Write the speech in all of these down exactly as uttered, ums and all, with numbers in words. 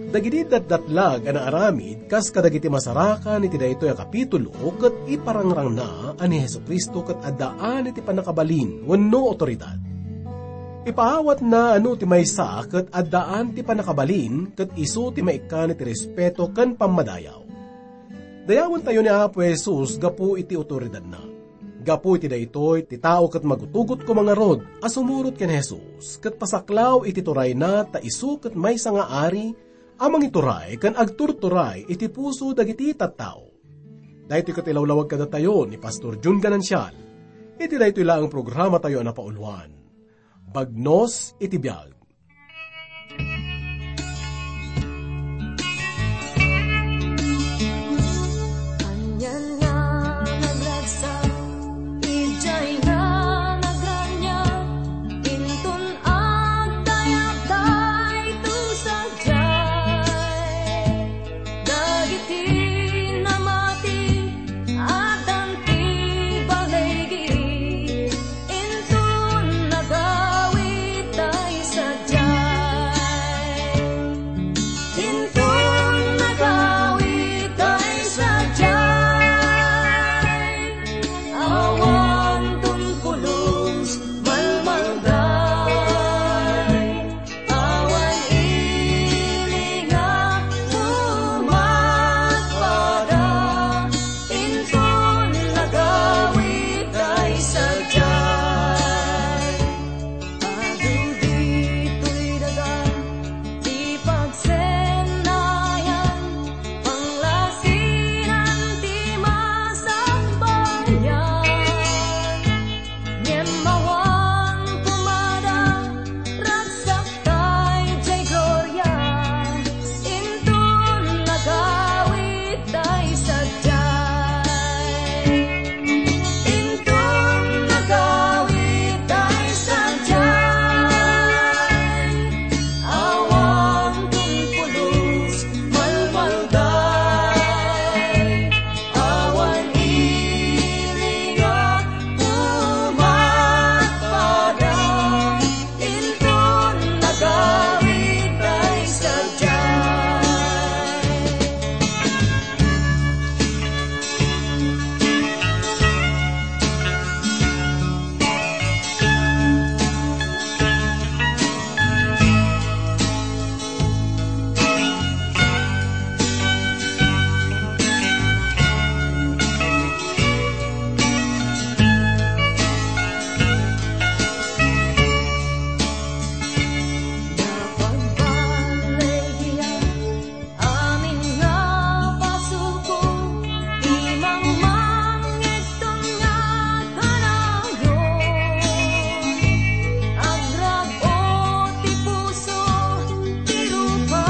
Dagiti datdatlag a naaramid kas kadagiti masarakan iti daytoy a kapitulo ket iparangrangna a ni Jesu-Cristo ket addaan iti pannakabalin wenno awtoridad. Ipaawatna a no ti maysa ket addaan ti pannakabalin ket isu ti maikkan iti respeto ken pammadayaw. Dayawentayo ni Apo Jesus gapu iti awtoridadna. Gapu iti daytoy, ti tao ket magutugot koma ngarud a sumurot ken Jesus, ket pasaklaw iti turayna ta isu ket maysa nga ari a mangituray ken agturturay iti puso dagiti tattao. Daytoy ket ilawlawag kadatayo ni Pastor Jun Ganancial iti daytoy laeng programatayo a napauluan, Bagnos iti Biag. Anian nga nagragsak, idiay nga nagraniag, inton agdayag daytoy sadiay. Dagiti namati, addan ti baligi, inton nagawid tay sadiay. Inton nagawid tay sadiay, awan ton pulos malmalday, awan ili nga umatpada, inton nagawid tay sadiay. Adu ditoy daga ti pagsennayan, panglasinan ti masambayan. Ngem awan pumada, ragsak tay diay gloria, inton nagawid tay sadiay. Inton nagawid tay sadiay, awan ton pulos malmalday, awan ili nga umatpada, inton nagawid tay sadiay. Amin nga pasukko, imangmang ngegton nga kanayon. Agrag-o ti puso, ti rupa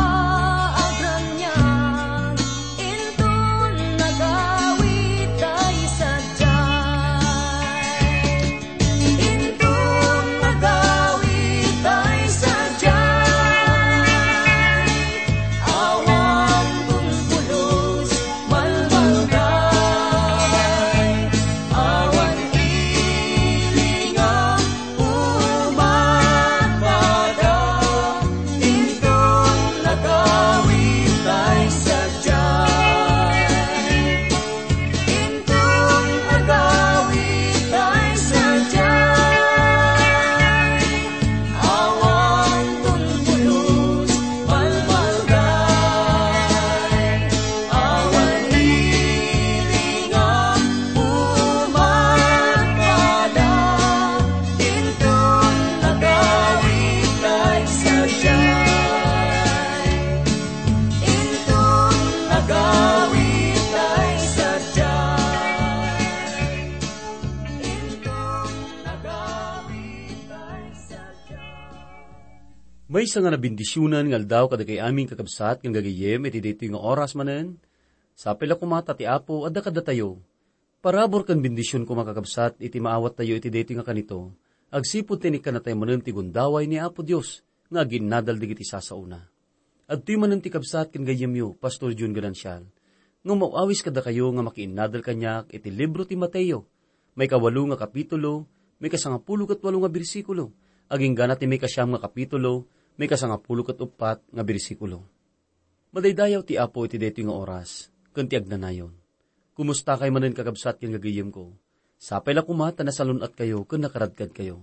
agraniag, inton nagawid tay sadiay. Inton nagawid tay sadiay, awan ton pulos malmalday, awan ili nga umatpada, inton nagawid tay sadiay. Inton agawid tay sadiay, awan ton pulos malmalday, awan ili nga umatpada, inton agawid tay sadiay. Inton agawid tay sadiay. Inton agawid tay sadiay. Maysa nga nabendisionan nga aldaw kadagiti amin, kakabsat, ken gagayyem, iti daytoy nga oras manen. Sapay la koma ta ti Apo adda kadatayo. Parabur ken bendision koma, kakabsat, iti maawattayo iti daytoy nga kanito, agsipud ti inikkannatayo manen ti gundaway ni Apo Dios nga aginnadal dagiti sasaona. Adtoy manen ti kabsat ken gayyemyo, Pastor Jun Ganancial, nga umaw-awis kadakayo nga makiinnadal kaniak iti libro ti Mateo, maikawalo nga kapitulo, maikasangapulo ket walo nga bersikulo, agingga na ti maikasiam nga kapitulo, maikasangapulo ket uppat nga bersikulo. Madaydayaw ti Apo iti daytoy nga oras, ken ti agnanayon. Kumusta kay manen, kakabsat ken gagayemko? Sapay la koma ta nasalun-atkayo ken nakaradkadkayo.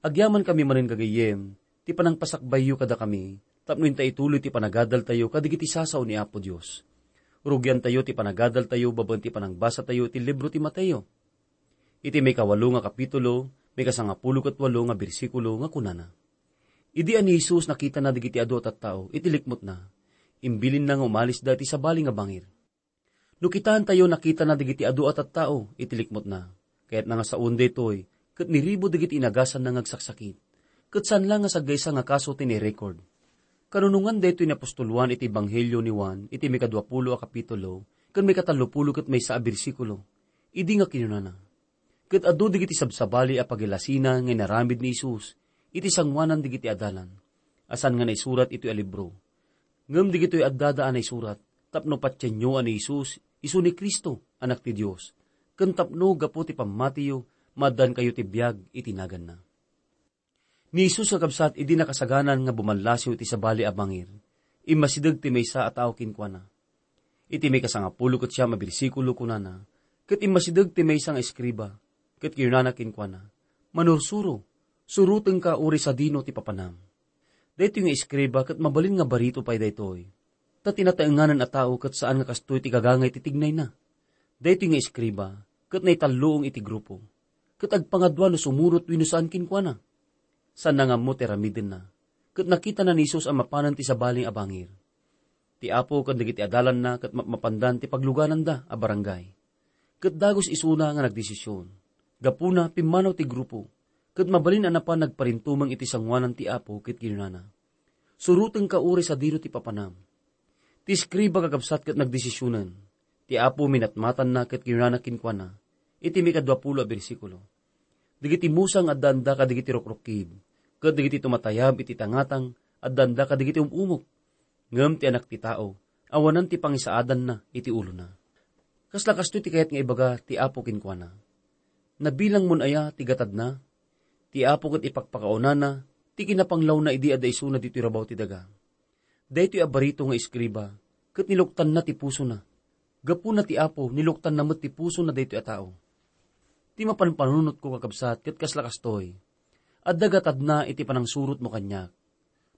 Agyaman kami manen gagayem, ti panangpasakbayyo kadakami, tapno inta ituloy ti panagadaltayo kadigiti sasao ni Apo Dios. Rugiantayo ti panagadaltayo babaen ti panangbasatayo iti libro ti Mateo. Iti maikawalo nga kapitulo, maikasangapulo ket walo nga bersikulo nga kunana, Idi a ni Jesus nakitana dagiti adu a tattao iti likmutna, imbilinna nga umalisda iti sabali nga bangir. No kitaentayo, nakitana dagiti adu a tattao iti likmutna. Kayatna nga sawen daytoy, ket niribo dagiti inagasanna nga agsaksakit. Ket saan la nga saggaysa nga kaso ti nairekord. Kanunongan daytoy ni apostol Juan iti Ebanghelio ni Juan iti maikadua pulo a kapitulo ken maikatallo pulo ket maysa a bersikulo. Idi nga kinunana, Ket adu dagiti sabsabali a pagilasina nga inaramid ni Jesus iti sangoanan dagiti adalan, a saan nga naisurat itoy a libro. Ngem dagitoy addada a naisurat tapno patienyo a ni Jesus isu ni Cristo, Anak ti Dios, ken tapno gapu ti pammatiyo, maaddaankayo ti biag iti naganna. Ni Jesus, kakabsat, idi nakasaganan nga bumallasiw iti sabali a bangir, immasideg ti maysa a tao kenkuana. Iti maikasangapulo ket siam a bersikulo, kunana, Ket immasideg ti maysa nga eskriba, ket kinunana kenkuana, "Manursuro, surotenka uray sadino ti papanam." Daytoy nga eskriba ket mabalin nga barito pay daytoy, ta ti nataenganan a tao ket saan nga kastoy ti gagangay ti tignayna. Daytoy nga eskriba ket naitalluong iti grupo, ket agpangadua no sumurot wenno saan kenkuana. Saanna nga ammo ti aramidenna, ket nakitana ni Jesus a mapanen ti sabali a bangir. Ti Apo ken dagiti adalanna ket mapmapandan ti paglugananda a barangay. Ket dagus isuna nga nagdesision. Gapuna, pimmanaw ti grupo, ket mabalin a napan nagparintumeng iti sangoanan ti Apo ket kinunana, "Surotenka uray sadino ti papanam." Ti eskriba, kakabsat, ket nagdesisionen. Ti Apo minatmatanna ket kinunana kenkuana, iti maikadua pulo a bersikulo, "Dagiti musang addaanda kadagiti rukrukkib, ket dagiti tumatayab iti tangatang addaanda kadagiti um-umok. Ngem ti Anak ti Tao, awanan ti pangisaadanna iti ulona." Kasla kastoy ti kayat nga ibaga ti Apo kenkuana. Nabilangmon aya ti gatadna? Ti Apo ket ipakpakaunana ti kinapanglawna idi adda isuna ditoy rabaw ti daga. Daytoy a barito nga eskriba, ket niluktanna ti pusona. Gapuna ti Apo, niluktanna met ti pusona daytoy a tao. Ti mapanpanunotko, kakabsat, ket kasla kastoy. Adda gatadna iti panangsurotmo kaniak.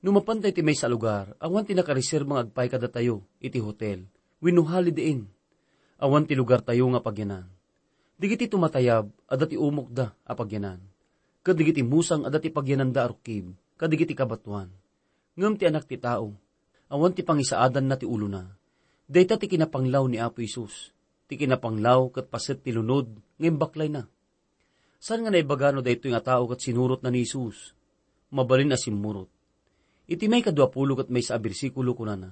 No mapanta iti maysa a lugar, awan ti nakareserba nga agpaay kadatayo iti hotel wenno Holiday Inn. Awan ti lugartayo nga pagyanan. Dagiti tumatayab, adda ti umokda a pagyanan. Ket dagiti musang, adda ti pagyananda a rukkib, kadagiti kabatoan. Ngem ti Anak ti Tao, awan ti pangisaadanna ti ulona. Dayta ti kinapanglaw ni Apo Jesus. Ti kinapanglaw ket paset ti lunod nga imbaklayna. Saan nga naibaga no daytoy nga tao ket sinurotna ni Jesus? Mabalin a simmurot. Iti maikadua pulo ket maysa a bersikulo, kunana,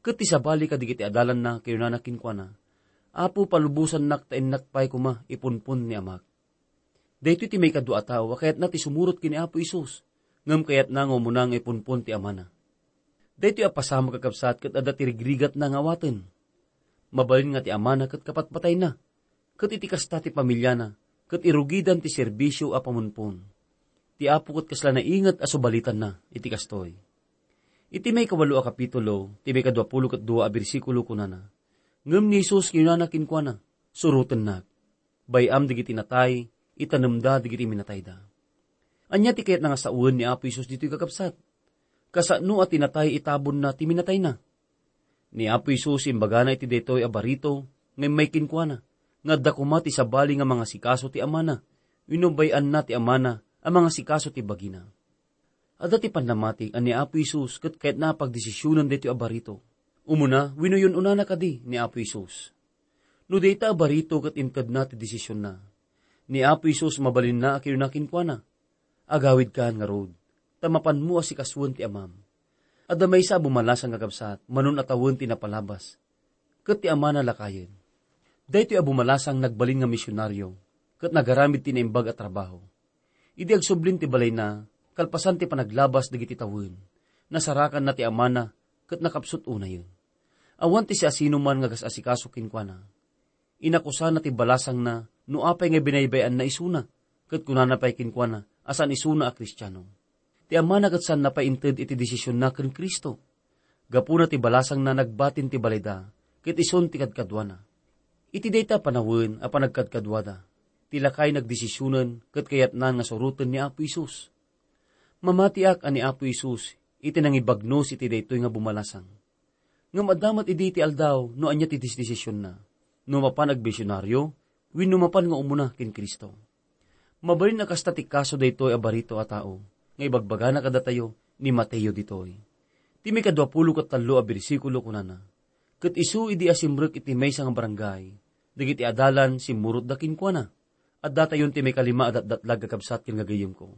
"Ket ti sabali kadagiti adalanna kinunana kenkuana, 'Apo, palubosannak ta innak pay koma ipunpon ni Amak.'" Daytoy ti maikadua a tao a kayatna ti sumurot ken ni Apo Jesus, ngem kayatna nga umuna nga ipunpon ti amana. Daytoy a pasamak, kakabsat, ket adda ti rigrigatna nga awaten. Mabalin nga ti amana ket kapatpatayna, ket iti kasta ti pamiliana, ket irugidan ti serbisio a pamunpon. Ti Apo ket kasla nainget a subalitanna iti kastoy. Iti maikawalo a kapitulo, ti maikadua pulo ket dua a bersikulo, kunana, "Ngem ni Jesus kinunana kenkuana, 'Surotennak.' Bay-am dagiti natay, itanemda dagiti minatayda." Ania ti kayatna nga sawen ni Apo Jesus ditoy, kakabsat? Kasano a ti natay itabonna ti minatayna? Ni Apo Jesus imbagana iti daytoy a barito nga immay kenkuana, nga adda koma ti sabali nga mangasikaso ti amana, wenno bay-anna ti amana a mangasikaso ti bagina. Adda ti pannamatik a ni Apo Jesus ket kayatna a pagdesisionan daytoy a barito. Umuna wenno yun-unana kadi ni Apo Jesus? No dayta a barito ket intedna ti desisionna, ni Apo Jesus mabalinna a kinuna kenkuana, "Agawidkan ngarud, ta mapanmo a sikasoen ti Amam. Adda maysa a bumalasang, kakabsat, manon a tawen ti napalabas, ket ti amana lakayen." Daytoy a bumalasang nagbalin nga misionario, ket nagaramid ti naimbag a trabaho. Idi agsublin ti balayna, kalpasan ti panaglabas dagiti tawen, nasarakanna ti amana ket nakapsut unayen. Awan ti siasinoman nga agas-asikaso kenkuana. Inakusana ti balasangna no apay nga binaybay-anna isuna, ket kunana pay kenkuana a saan isuna a Kristiano. Ti amana ket saanna pay inted iti desisionna ken Cristo. Gapuna ti balasangna, nagbatin ti balayda, ket isun ti kadkaduana. Iti dayta a panawen a panagkadkaduada, ti lakay nagdesisionen ket kayatnan nga suroten ni Apo Jesus. Mamatiak a ni Apo Jesus iti nangibagnos iti daytoy nga bumalasang. Ngem adda met idi ti aldaw no ania ti desdesisionna, no mapan agmisionaryo wenno mapan nga umuna ken Cristo. Mabalin a kasta ti kaso daytoy a barito a tao nga ibagbagana kadatayo ni Mateo ditoy. Ti maikadua pulo ket tallo a bersikulo kunana, "Ket isu idi asimrek iti maysa nga barangay, dagiti adalan simmurotda kenkuana." Addatayon ti maikalima a datdatlag, kakabsat ken gagayyemko.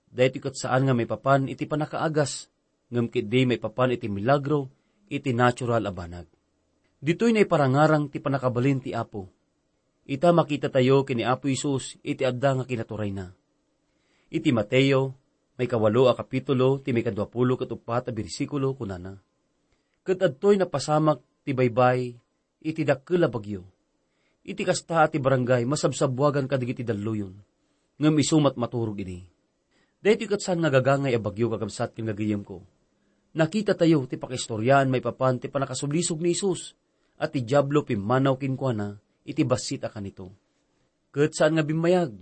Daytoy ket saan nga maipapan iti pannakaagas, ngem ketdi maipapan iti milagro iti natural a banag. Ditoy naiparangarang ti pannakabalin ti Apo. Ita, makitatayo ken ni Apo Jesus iti adda nga kinaturayna. Iti Mateo, maikawalo a kapitulo, ti maikadua pulo ket uppat a bersikulo, kunana, "Ket adtoy napasamak ti baybay iti dakkel a bagyo. Iti kasta a ti barangay masabsabbuagan kadagiti dalluyon, ngem isu met maturog idi." Daytoy ket saan nga gagangay a bagyo, kakabsat ken gagayyemko. Nakitatayo ti pakaistoriaan maipapan ti pannakasulisog ni Jesus, a ti Diablo pimmanaw kenkuana iti bassit a kanito. Ket saan nga bimmayag.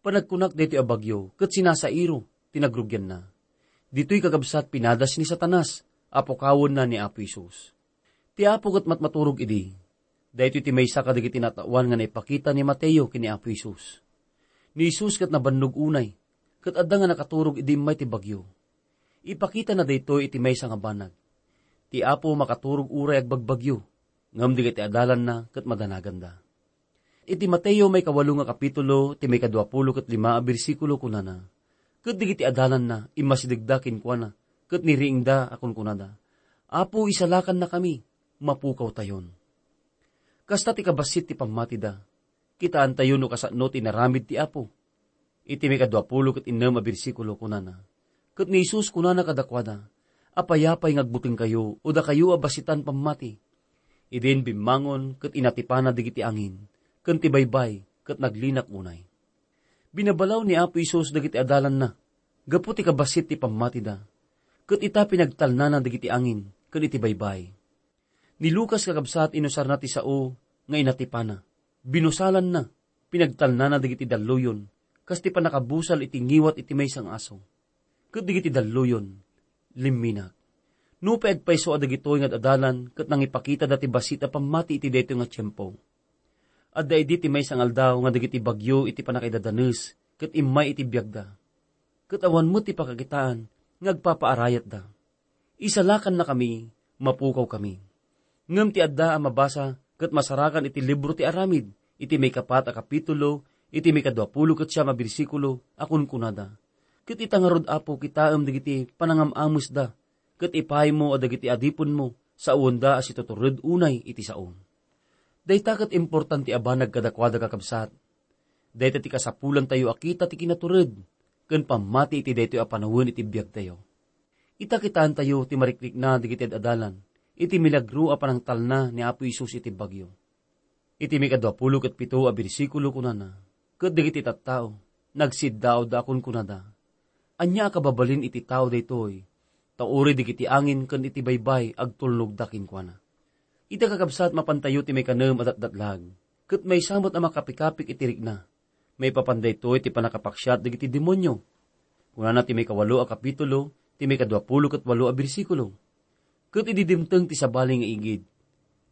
Panagkunak daytoy a bagyo ket sinasairo ti nagrugianna. Ditoy, kakabsat, pinadas ni Satanas a pukawenna ni Apo Jesus. Ti Apo ket matmaturog idi. Daytoy ti maysa kadagiti nataoan nga naipakita ni Mateo ken ni Apo Jesus. Ni Jesus ket nabannog unay, ket adda nga nakaturog idi immay ti bagyo. Ipakitana daytoy iti maysa nga banag. Ti Apo makaturog uray agbagbagyo, ngem dagiti adalanna ket madanaganda. Iti Mateo maikawalo nga kapitulo, ti maikadua pulo ket lima a bersikulo, kunana, "Ket dagiti adalanna, immasidegda kenkuana, ket niriingda a kunkunada, 'Apo, isalakannakami, mapukawtayon.'" Kasta ti kabassit ti pammatida. Kitaantayo no kasano ti inaramid ti Apo. Iti maikadua pulo ket innem a bersikulo, kunana, "Ket ni Jesus kunana kadakuada, 'Apay-apay nga agbutengkayo, o dakayo a bassitan pammati?' Idin bimmangon ket inatipana dagiti angin ken ti baybay ket naglinak unay." Binabalaw ni Apo Jesus dagiti adalanna gapu ti kabassit ti pammatida, ket ita, pinagtalnana dagiti angin ken iti baybay. Ni Lucas, kakabsat, inusarna ti sao nga inatipana. Binusalanna, pinagtalnana dagiti dalluyon, kas ti pannakabusal iti ngiwat iti maysa nga aso. Ket dagiti dalluyon, limminak. Nupay agpayso a dagitoy nga ad-adalan ket nangipakitada ti bassit a pammati iti daytoy nga tiempo. Adda idi ti maysa nga aldaw nga dagiti bagyo iti pannakaidadanes ket immay iti biagda. Ket awan met ti pakakitaan nga agpapaarayatda. Isalakannakami, mapukawkami. Ngem ti adda a mabasa ket masarakan iti libro ti Aramid, iti maikapat a kapitulo, iti maikadua pulo ket siam a bersikulo, a kunkunada, "Ket ita ngarud, Apo, kitaem dagiti panangam-amesda, ket ipaymo a dagiti adipenmo saoenda a situtured unay iti sao." Dayta ket importante a banag kadakuada, kakabsat. Dayta ti kasapulantayo a kita ti kinatured ken pammati iti daytoy a panawen iti biagtayo. Ita, kitaentayo ti marikrikna dagiti ad-adalan iti milagro a panangtalna ni Apo Jesus iti bagyo. Iti maikadua pulo ket pito a bersikulo, kunana, "Ket dagiti tattao, nagsiddaawda a kunkunada, 'Ania a kababalin iti tao daytoy, ta uray dagiti angin ken iti baybay agtulnogda kenkuana?'" Ita, kakabsat, mapantayo ti maikanem a datdatlag, ket maysa met a makapikapik iti rikna. Maipapan daytoy ti pannakapaksiat dagiti demonio. Kunana ti maikawalo a kapitulo, ti maikadua pulo ket walo a bersikulo, "Ket idi dimteng ti sabali nga igid,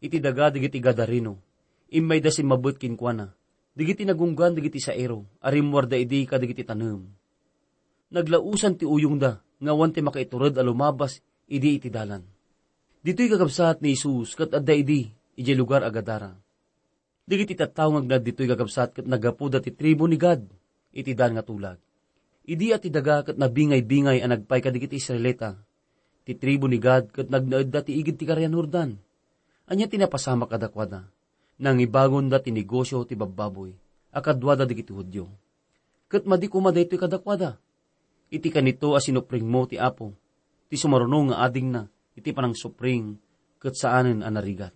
iti daga dagiti Gadareno, immayda simmabet kenkuana, dagiti nagunggan dagiti sairo a rimmuarda idi kadagiti tanem. Naglaosan ti uyongda nga awan ti makaitured a lumabas idi iti dalan." Ditoy kakabsat ni Jesus ket adda idi idiay lugar a Gadara. Dagiti tattao nga agnaed ditoy kakabsat ket naggapuda ti tribu ni Gad iti daan nga tulag. Idi a ti daga ket nabingay-bingay a nagpay kadagiti Israelita, ti tribu ni Gad ket nagnaedda ti igid ti Karian Jordan. Ania ti napasamak kadakuada? Nangibagonda ti negosio ti babbaboy a kaduada dagiti Judio. Ket madi koma daytoy kadakuada. Iti kanito a sinupringmo ti Apo, ti sumaruno nga adingna iti panangsupring ket saanen a narigat.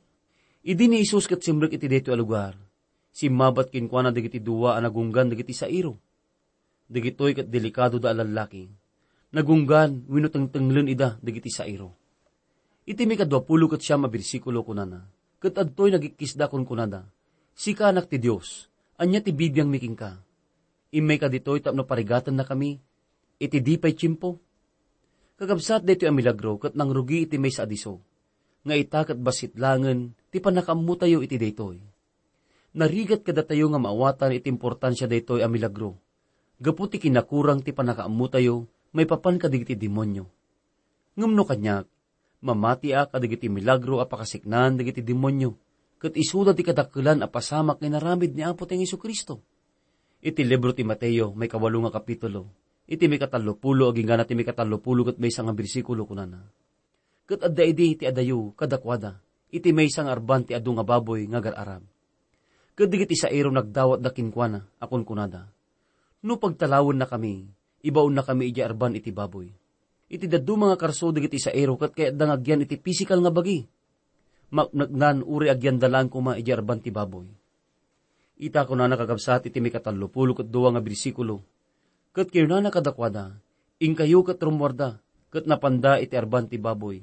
Idi ni Jesus ket simrek iti daytoy a lugar, simmabat kenkuana dagiti dua a nagunggan dagiti sairo. Dagitoy ket delikadoda a lallaki. Nagunggan wenno tengtenglen ida dagiti sairo. Iti maikadua pulo ket siam a bersikulo, kunana, ket adtoy nagikkisda, kunkunada, "Sika Anak ti Dios, ania ti bibiangmi kenka? Immayka ditoy tapno parigatennakami iti di pay tiempo." Kakabsat, daytoy a milagro ket nangrugi iti maysa a disso, nga ita ket bassit laengen ti pannakaammotayo iti daytoy. Narigat kadatayo nga maawatan iti importansia daytoy a milagro, gapu ti kinakurang ti pannakaammotayo maipapan kadagiti demonio. Ngem no kaniak, mamatiak kadagiti milagro a pakasiknaan dagiti demonio, ket isuda ti kadakkelan a pasamak nga inaramid ni Apotayo Jesu-Cristo. Iti libro ti Mateo, maikawalo nga kapitulo, iti maikatallopulo agingga ti maikatallopulo ket maysa nga bersikulo, kunana, "Ket adda idi ti adayo kadakuada iti maysa nga arban ti adu nga baboy nga agar-arab. Ket dagiti sairo nagdawatda kenkuana a kunkunada, 'No pagtalawennakami, ibaonnakami idiay arban iti baboy.' Iti dadduma nga karso, dagiti sairo ket kayatda nga agyan iti pisikal nga bagi. Makneknan uray agyanda laeng koma idiay arban ti baboy." Ita, kunana, kakabsat, iti maikatallopulo ket dua nga bersikulo, "Ket kinunana kadakuada, 'Inkayo ket rummuarda,' ket napanda iti arban ti baboy.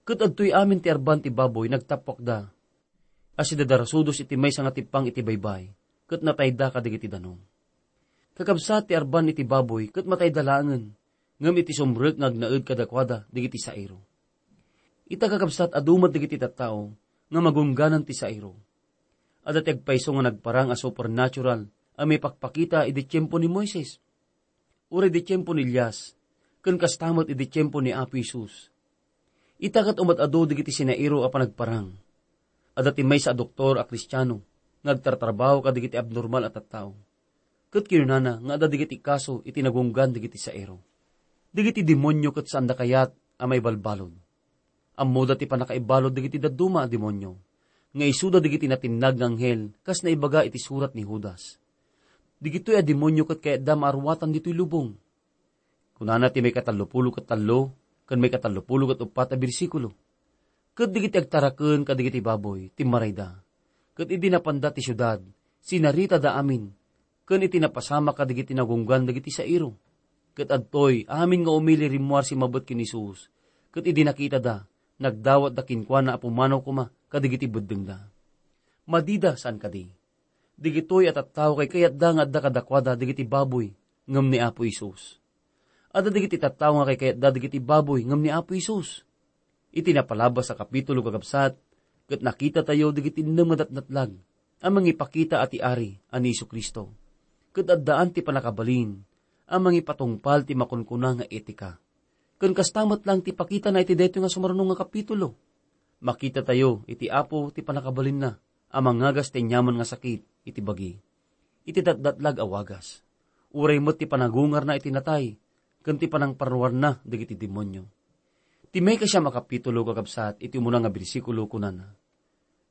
Ket adtoy amin ti arban ti baboy nagtappuakda a sidadarasudos iti maysa nga tippang iti baybay, ket natayda kadagiti danum." Kakabsat, ti arban iti baboy ket matayda laengen, ngem iti sumrek nga agnaed kadakuada dagiti sairo. Ita, kakabsat, adu met dagiti tattao nga magungganan ti sairo. Adda ti agpayso nga nagparang a supernatural a maipakpakita idi tiempo ni Moises, uray idi tiempo ni Elias, ken kasta met idi tiempo ni Apo Jesus. Ita ket umat-adu dagiti sinairo a panagparang. Adda ti maysa a doktor a Kristiano nga agtartrabaho kadagiti abnormal a tattao. Ket kinunana nga adda dagiti kaso iti nagunggan dagiti sairo. Dagiti demonio ket saanda kayat a maibalbalud. Ammoda ti pannakaibalud dagiti dadduma a demonio, nga isuda dagiti natinnag nga anghel, kas naibaga iti surat ni Judas. Dagitoy a demonio ket kayatda maaruatan ditoy lubong. Kunana ti maikatallopulo ket tallo ken maikatallopulo ket uppat a bersikulo, "Ket dagiti agtaraken kadagiti baboy, timmarayda. Ket idi napanda ti siudad, sinaritada amin, ken iti napasamak kadagiti nagunggan dagiti sairo. Ket adtoy amin nga umili rimmuar simmabet ken ni Jesus, ket idi nakitada, nagdawatda kenkuana a pumanaw koma kadagiti beddengda." Madida, saan kadi? Dagitoy a tattao kaykayatda nga adda kadakuada dagiti baboy ngem ni Apo Jesus. Adda dagiti tattao nga kaykayatda dagiti baboy ngem ni Apo Jesus. Iti napalabas a kapitulo, kakabsat, ket nakitatayo dagiti innem nga datdatlag a mangipakita a ti Ari a ni Jesu-Cristo, ket addaan ti pannakabalin a mangipatungpal ti makunkuna nga etika. Ken kasta met laeng ti pakitana iti daytoy nga sumaruno nga kapitulo. Makitatayo iti Apo ti pannakabalinna a mangagas ti aniaman nga sakit iti bagi, iti datdatlag a wagas, uray met ti panagungarna iti natay ken ti panangparruarna dagiti demonio. Ti maikasiam a kapitulo, kakabsat, iti umuna nga bersikulo, kunana,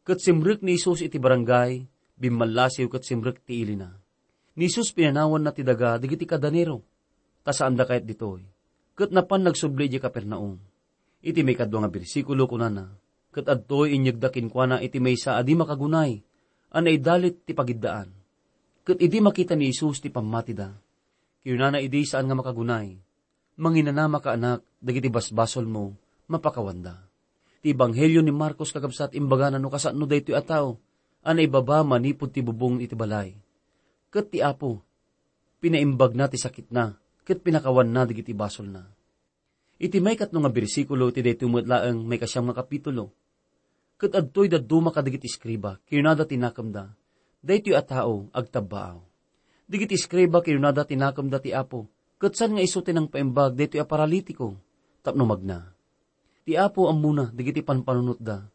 "Ket simrek ni Jesus iti barangay, bimmallasiw ket simrek ti ilina." Ni Jesus pinanawanna ti daga dagiti kadanero, ta saanda kayat ditoy, ket napan nagsubli idiay Capernaum. Iti maikadua nga bersikulo, kunana, "Ket adtoy inyegda kenkuana iti maysa a di makagunay a naidalit ti pagiddaan. Ket idi makita ni Jesus ti pammatida, kinunana idi saan nga makagunay, 'Manginanamaka, anak, dagiti basbasolmo mapakawanda.'" Ti ebanghelio ni Marcos, kakabsat, imbagana no kasano daytoy a tao a naibaba manipud ti bubong iti balay. Ket ti Apo, pinaimbagna ti sakitna ket pinakawanna dagiti basolna. Iti maikatlo nga bersikulo iti daytoy met laeng maikasiam nga kapitulo, "Ket adtoy dadduma kadagiti eskriba, kinunada ti nakemda, 'Daytoy a tao, agtabbaaw.' Dagiti eskriba, kinunada ti nakemda ti Apo, 'Ket saan nga isu ti nangpaimbag daytoy a paralitiko tapno magna?' Ti Apo ammona dagiti panpanunotda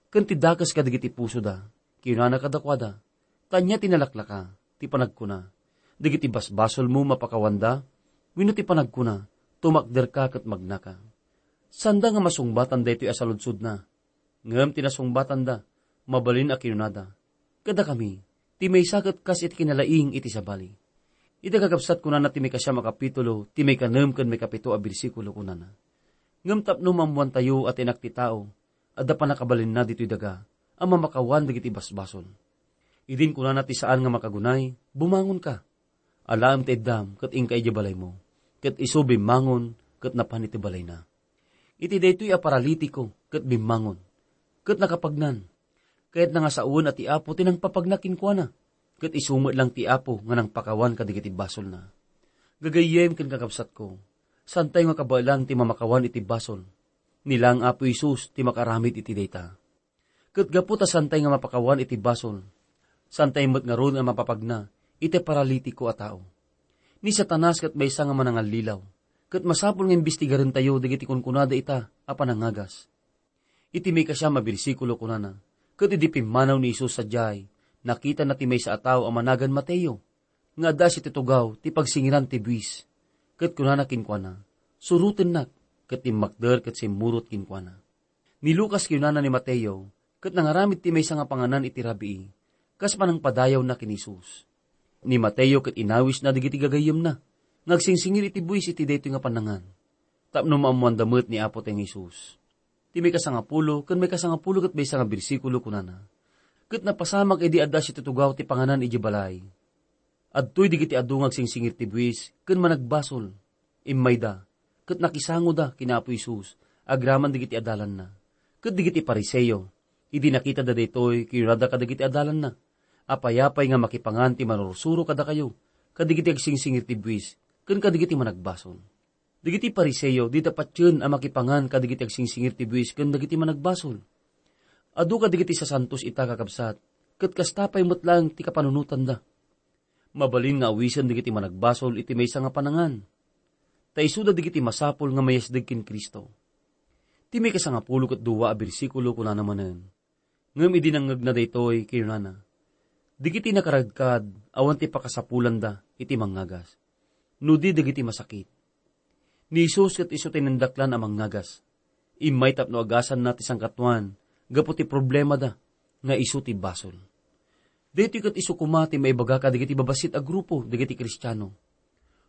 ken ti dakes kadagiti pusoda. Kinunana kadakuada, 'Ta ania ti nalaklaka, ti panagkuna, 'Dagiti basbasolmo mapakawanda,' wenno ti panagkuna, 'Tumakderka ket magnaka?' Saanda nga masungbatan daytoy a saludsodna. Ngem ti nasungbatanda, mabalin a kinunada, 'Kadakami, ti maysa ket kas iti kinalaing iti sabali.'" Iti kakabsat, kunana ti maikasiam a kapitulo, ti maikanem ken maikapito a bersikulo, kunana, "Ngem tapno maammoantayo a ti Anak ti Tao, adda pannakabalinna ditoy daga a mamakawan dagiti basbasol." Idin kunana ti saan nga makagunay, "Bumangonka. Alaem ti iddam ket inka idiay balaymo." Ket isu bimmangon ket napan iti balayna. iti daytoy a paralitiko ket bimmangon, ket nakapagnan. Kayatna nga sawen a ti Apo ti nangpapagna kenkuana, ket isu met lang ti Apo nga nangpakawan kadagiti basolna. Gagayyem ken kakabsatko, saantayo nga kabaelan ti mamakawan iti basol. Ni lang Apo Jesus ti makaaramid iti dayta. Ket gapu ta saantayo nga mapakawan iti basol, saantayo met ngarud nga mapapagna iti paralitiko a tao. Ni Satanas ket maysa nga manangallilaw, ket masapul nga imbestigarentayo dagiti kunkunada ita a panangagas. Iti maikasiam a bersikulo kunana, ket idi pimmanaw ni Jesus sadiay, nakitana ti maysa a tao a managan Mateo, nga adda situtugaw ti pagsingiran ti buis. Ket kunana kenkuana, "Surotennak," ket timmakder ket simmurot kenkuana. Ni Lucas kinunana ni Mateo, ket nangaramid ti maysa nga panganan iti rabii, kas panangpadayawna ken Jesus. Ni Mateo ket inawisna dagiti gagayyemna nga agsingsingir iti buis iti daytoy nga pannangan, tapno maammoanda met ni Apotayo nga Jesus. Ti maikasangapulo ken maikasangapulo ket maysa nga bersikulo kunana, "Ket napasamak idi adda situtugaw ti panganan idiay balay. Adtoy dagiti adu nga agsingsingir ti buis ken managbasol. Immayda, ket nakisangoda ken Apo Jesus agraman dagiti adalanna." Ket dagiti Fariseo, idi nakitada daytoy, kinunada kadagiti adalanna, "Apay-apay nga makipangan ti manursuro kadakayo, kadagiti agsingsingir ti buis, ken kadagiti managbasol?" Dagiti Fariseo dida patien a makipangan kadagiti agsingsingir ti buis ken dagiti managbasol. Adu kadagiti sasantos ita, kakabsat, ket kasta pay met laeng ti kapanunotanda. Mabalin nga awisen dagiti managbasol iti maysa nga panangan, ta isuda dagiti masapul nga mayasdeg ken Cristo. Ti maikasangapulo ket dua a bersikulo kunana manen, "Ngem idi nangngegna daytoy, kinunana, 'Dagiti nakaradkad awan ti pakasapulanda iti mangngagas, no di dagiti masakit.'" Ni Jesus ket isu ti nindaklan a mangngagas. Immay tapno agasanna ti sangkatuan gapu ti problemada nga isu ti basol. Daytoy ket isu koma ti maibaga kadagiti babassit a grupo dagiti Kristiano.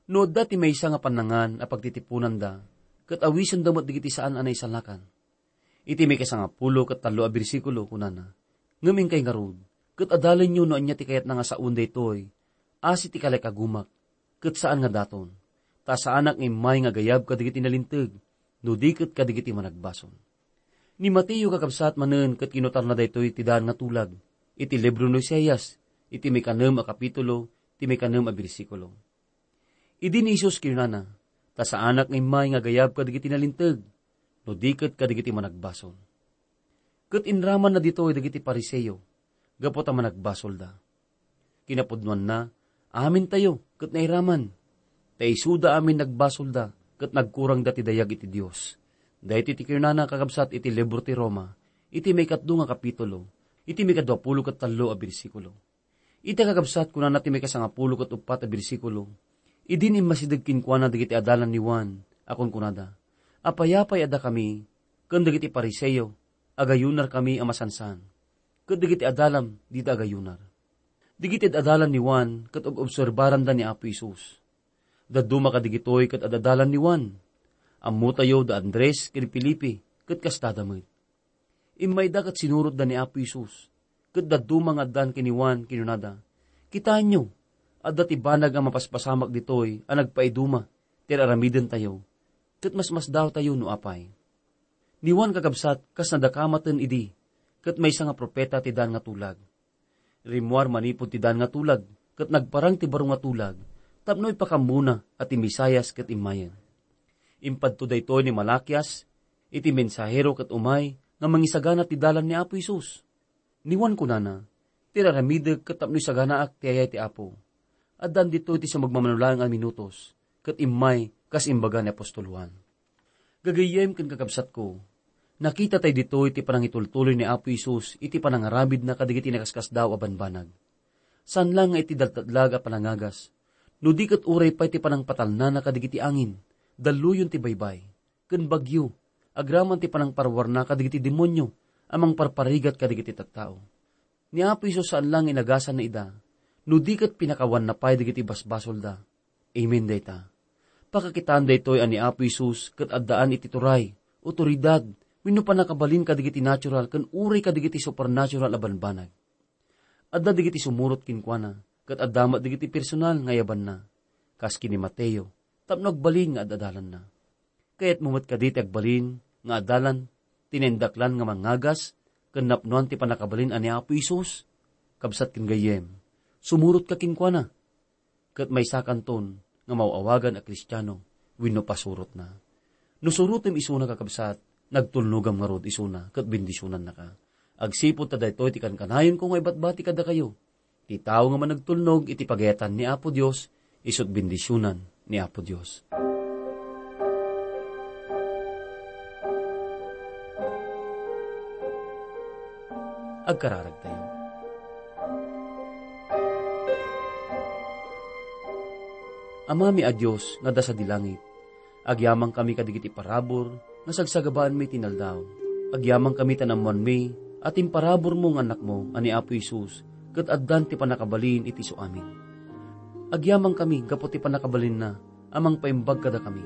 No adda ti maysa nga pannangan a pagtitiponanda, ket awisenda met dagiti saan a naisalakan. Iti maikasangapulo ket tallo a bersikulo, kunana, "Ngem inkay ngarud, ket adalenyo no ania ti kayatna nga sawen daytoy, asi ti kalikagumak, ket saan nga daton. Ta saanak nga immay nga agayab kadagiti nalinteg, no di ket kadagiti managbasol." Ni Mateo, kakabsat, manen ket kinutarna daytoy ti daan nga tulag iti libro ni Isaias, iti maikanem a kapitulo, ti maikanem a bersikulo. Idi ni Jesus kinunana, "Ta saanak nga immay nga agayab kadagiti nalinteg, no di ket kadagiti managbasol." Ket inramanna ditoy dagiti Fariseo, gapu ta managbasolda. Kinapudnoanna, amintayo ket nairaman, ta isuda amin nagbasolda ket nagkurangda ti dayag iti Dios. Daytoy ti kinunana, kakabsat, iti libro ti Roma, iti maikatlo nga kapitulo, iti maikadua pulo ket tallo a bersikulo. Ita, kakabsat, kunana ti maikasangapulo ket uppat a bersikulo, "Idin immasideg kenkuana dagiti adalan ni Juan a kunkunada, 'Apay-apay a dakami ken dagiti Fariseo, agayunarkami a masansan, ket dagiti adalam dida agayunar.'" Dagiti ad-adalan ni Juan ket ob-obserbaranda ni Apo Jesus. Dadduma kadagitoy ket ad-adalan ni Juan. Ammotayo da Andres ken Felipe ket kastada met. Immayda ket sinurotda ni Apo Jesus, ket dadduma nga addan ken ni Juan, kinunada, "Kitaenyo, adda ti banag a mapaspasamak ditoy a nagpaiduma ti ar-aramidentayo, ket masmasdaawtayo no apay." Ni Juan, kakabsat, kas nadakamaten idi, ket maysa nga profeta ti daan nga tulag. Rimmuar manipud ti daan nga tulag, ket nagparang ti baro nga tulag, tapno ipakammona a ti Mesias ket immayen. Impadto daytoy ni Malaquias iti mensahero ket umay nga mangisagana ti dalan ni Apo Jesus. Ni Juan kunana, "Ti ar-aramidek ket tapno isaganaak ti ayay ti Apo. Addan ditoy ti sumagmamano laeng a minutos, ket immay kas imbaga ni apostol Juan." Gagayyem ken kakabsatko, nakita tay ditoy ti panangitultuloy ni Apo Jesus iti panangaramidna kadagiti nakaskasdaaw a banbanag. Saan la nga iti daltatlag a panangagas, no di ket uray pay ti panangpatalnana kadagiti angin, dalluyon ti baybay, ken bagyo, agraman ti panangparuarna kadagiti demonio a mangparparigat kadagiti tattao. Ni Apo Jesus saan la nga inagasanna ida, no di ket pinakawanna pay dagiti basbasolda. Amen dayta. Pakakitaan daytoy a ni Apo Jesus ket addaan iti turay, otoridad, wenno pannakabalin kadagiti natural ken uray kadagiti supernatural a banbanag. Adda dagiti sumurot kenkuana, ket adda met dagiti personal nga ayabanna, kas ken ni Mateo, tapno agbalin nga ad-adalanna. Kayatmo met kadi ti agbalin nga adalan ti naindaklan nga mangngagas ken napnoan ti pannakabalin a ni Apo Jesus, kabsat ken gayyem, sumurotka kenkuana, ket maysakanton nga maaw-awagan a Kristiano wenno pasurotna. No surotem isuna, kakabsat, nagtulnogam ngarud isuna ket bendisionannaka. Agsipud ta daytoy ti kankanayonko nga ibatbati kadakayo. Ti tao nga managtulnog iti pagayatan ni Apo Dios, isu't bendisionan ni Apo Dios. Agkararagtayo. Amami a Dios nga adda sadi langit, agyamankami kadagiti parabur nga sagsagabaanmi ti inaldaw. Agyamankami ta naammoanmi a ti imparaburmo nga Annakmo a ni Apo Jesus ket addan ti pannakabalin iti isuamin. Agyamankami gapu ti pannakabalinna a mangpaimbag kadakami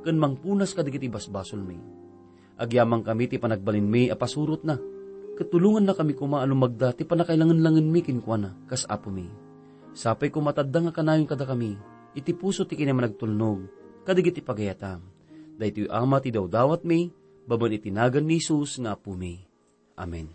ken mangpunas kadagiti basbasolmi. Agyamankami ti panagbalinmi a pasurotna, ket tulongannakami koma a lumagda ti pannakailangenlangenmi kenkuana kas Apomi. Sapay koma ta adda nga kanayon kadakami iti puso ti kinamanagtulnog kadagiti pagayatam. Daytoy, Ama, ti dawdawatmi babaen iti nagan ni Jesus nga Apomi. Amen.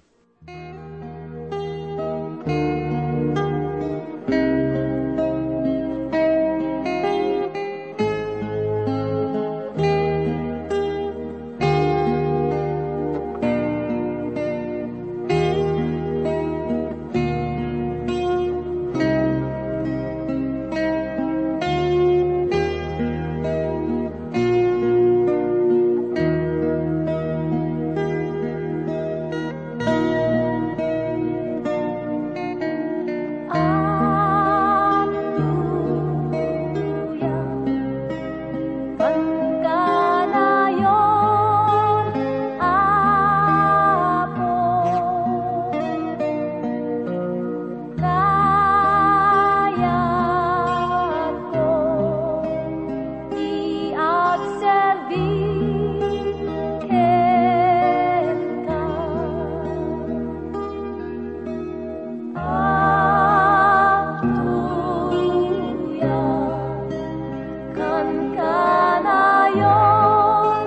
Kayatko ti agserbi kenka. Agtuyakkan kanayon,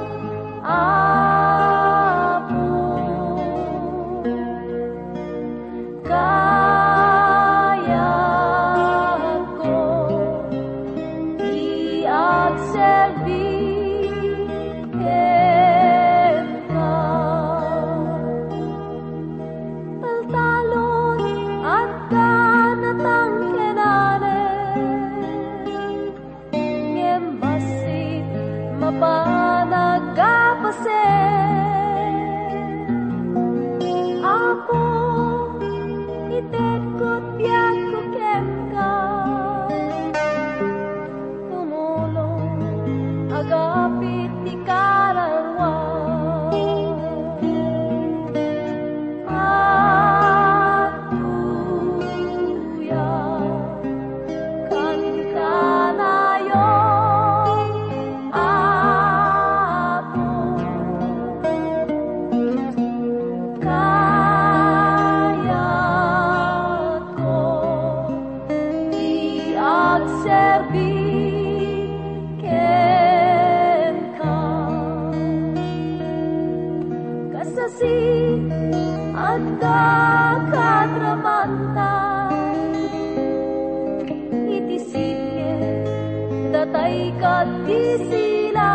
Apo. Kayatko ti agserbi kenka. Taltalon, adda natangkenanen. Ngem bassit mapan a agpasen. Apo, itedko ti biagko kenka. Tumulong, agapit ti kararua. Agtuyakkan kanayon, Apo. Kayatko ti agserbi kenka. Kasasi, adda kadramanta iti sirke, datay ket ti sila.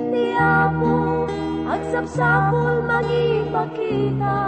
Ti Apo agsapsapul mangipakita.